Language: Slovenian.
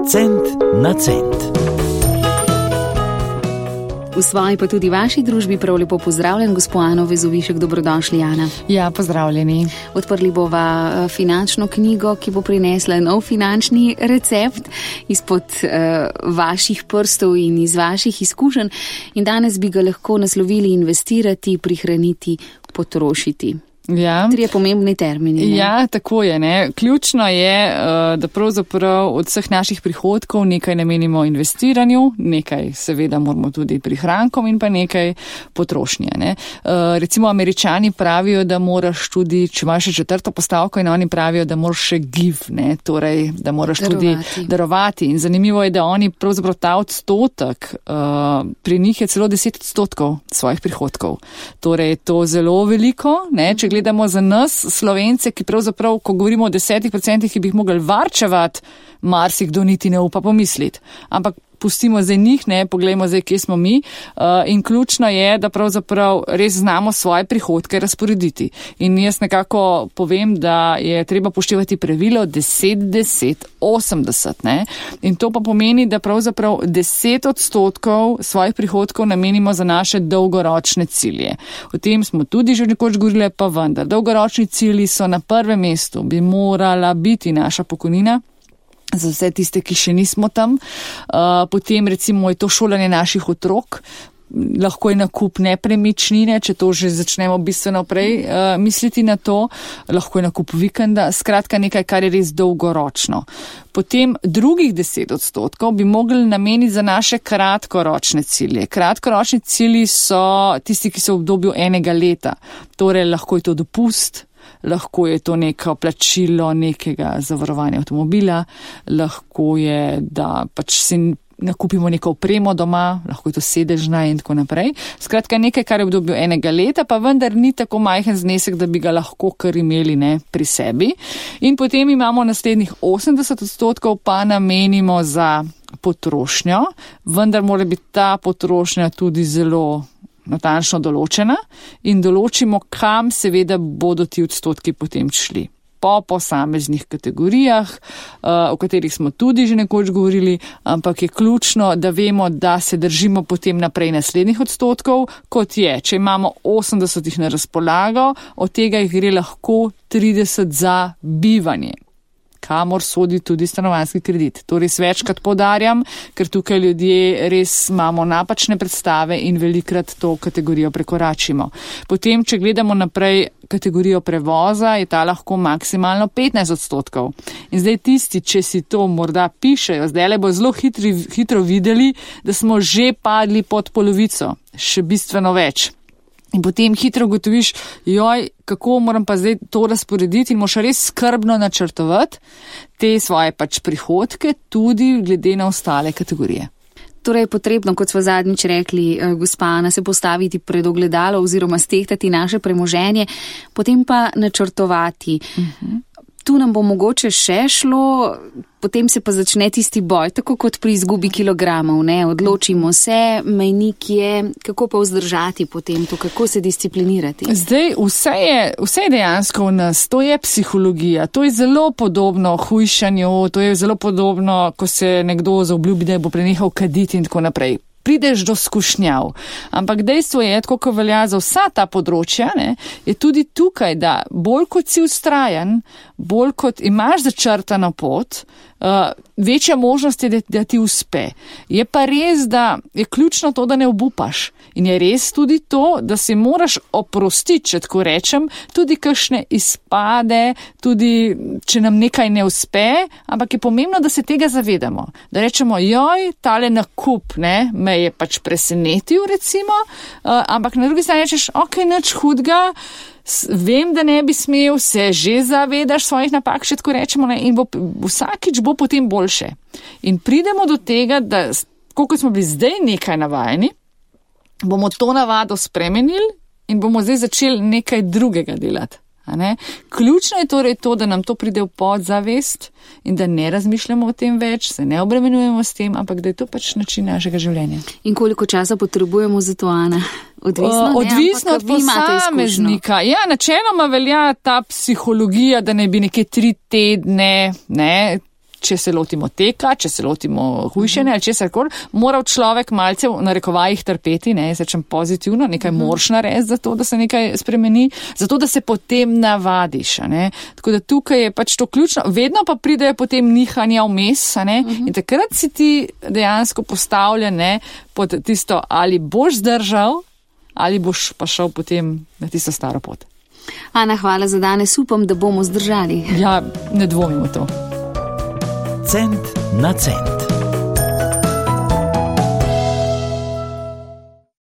Cent na cent. V svoji pa tudi vaši družbi prav lepo pozdravljen, gospod Ano Vezovišek, dobrodošli, Ana. Ja, pozdravljeni. Odprli bova finančno knjigo, ki bo prinesla nov finančni recept izpod vaših prstov in iz vaših izkušenj. In danes bi ga lahko naslovili investirati, prihraniti, potrošiti. Ja. 3 pomembni termini. Ne? Ja, tako je. Ne? Ključno je, da pravzaprav od vseh naših prihodkov nekaj namenimo investiranju, nekaj seveda moramo tudi prihrankom in pa nekaj potrošnje. Ne? Recimo Američani pravijo, da moraš tudi, če imaš še 4. postavko, in oni pravijo, da moraš še give, ne? Torej, da moraš tudi darovati. In zanimivo je, da oni pravzaprav ta odstotek, pri njih je celo 10% svojih prihodkov. Torej, to zelo veliko, ne? Če gledamo za nas, Slovence, ki pravzaprav, ko govorimo o 10%, ki bi jih mogli varčevati, marsikdo niti ne upa pomisliti. Ampak pustimo zdaj njih, ne, poglejmo zdaj, kje smo mi. In ključno je, da pravzaprav res znamo svoje prihodke razporediti. In jaz nekako povem, da je treba poštevati pravilo 10-10-80. Ne. In to pa pomeni, da pravzaprav 10% svojih prihodkov namenimo za naše dolgoročne cilje. O tem smo tudi že nekoč govorili, pa vendar. Dolgoročni cilji so na prvem mestu, bi morala biti naša pokojnina. Za vse tiste, ki še nismo tam. Potem recimo je to šolanje naših otrok, lahko je nakup nepremičnine, če to že začnemo bistveno prej misliti na to, lahko je nakup vikenda, skratka nekaj, kar je res dolgoročno. Potem drugih 10% bi mogli nameniti za naše kratkoročne cilje. Kratkoročni cilji so tisti, ki so v obdobju enega leta, torej lahko je to dopust, lahko je to neko plačilo nekega zavarovanja avtomobila, lahko je, da pač si nakupimo neko opremo doma, lahko je to sedežna in tako naprej. Skratka, nekaj, kar je v obdobju enega leta, pa vendar ni tako majhen znesek, da bi ga lahko kar imeli, ne, pri sebi. In potem imamo naslednjih 80% pa namenimo za potrošnjo, vendar mora biti ta potrošnja tudi zelo natančno določena in določimo, kam seveda bodo ti odstotki potem šli. Po posameznih kategorijah, o katerih smo tudi že nekoč govorili, ampak je ključno, da vemo, da se držimo potem naprej naslednjih odstotkov, kot je, če imamo 80 na razpolago, od tega jih gre lahko 30 za bivanje, kamor sodi tudi stanovanjski kredit. To res večkrat poudarjam, ker tukaj ljudje res imamo napačne predstave in velikrat to kategorijo prekoračimo. Potem, če gledamo naprej kategorijo prevoza, je ta lahko maksimalno 15%. In zdaj tisti, če si to morda pišejo, zdaj le bo zelo hitro videli, da smo že padli pod polovico, še bistveno več. In potem hitro ugotoviš, kako moram pa zdaj to razporediti in moraš res skrbno načrtovati te svoje pač prihodke tudi glede na ostale kategorije. Torej je potrebno, kot smo zadnjič rekli, gospa Ana, se postaviti pred ogledalo oziroma stehtati naše premoženje, potem pa načrtovati. Tu nam bo mogoče še šlo, potem se pa začne tisti boj, tako kot pri izgubi kilogramov, ne, odločimo se, mejnik je, kako pa vzdržati potem to, kako se disciplinirati. Zdaj, vse je dejansko v nas, to je psihologija, to je zelo podobno hujšanju, to je zelo podobno, ko se nekdo zaobljubi, da bo prenehal kaditi in tako naprej. Prideš do skušnjav. Ampak dejstvo je, tako kot velja za vsa ta področja, ne, je tudi tukaj, da bolj kot si vztrajen, bolj kot imaš začrtano pot, večja možnost je, da ti uspe. Je pa res, da je ključno to, da ne obupaš. In je res tudi to, da se moraš oprostiti, če tako rečem, tudi kakšne izpade, tudi če nam nekaj ne uspe, ampak je pomembno, da se tega zavedamo. Da rečemo, tale nakup, ne, me je pač presenetil, recimo, ampak na drugi strani rečeš, nič hudega, vem, da ne bi smel, se že zavedaš svojih napak, še tako rečemo, ne, in vsakič bo potem boljše. In pridemo do tega, da koliko smo bili zdaj nekaj navajeni, bomo to navado spremenili in bomo zdaj začeli nekaj drugega delati. Ključno je torej to, da nam to pride v podzavest in da ne razmišljamo o tem več, se ne obremenjujemo s tem, ampak da je to pač način našega življenja. In koliko časa potrebujemo za to, Ana? Odvisno od posameznika. Ja, načeloma velja ta psihologija, da ne bi neke 3 tedne, ne, če se lotimo teka, če se lotimo hujšanja ali česarkoli, moral človek malce v narekovajih trpeti, ne, jaz rečem pozitivno, nekaj moraš narediti za to, da se nekaj spremeni, zato da se potem navadiš, ne. Tako da tukaj je pač to ključno, vedno pa pridejo potem nihanja vmes, ne, in takrat si ti dejansko postavljen, ne, pod tisto, ali boš zdržal, ali boš pa šel potem na tisto staro pot. Ana, hvala za danes, upam, da bomo zdržali. Ja, ne dvomim v to. Cent na cent.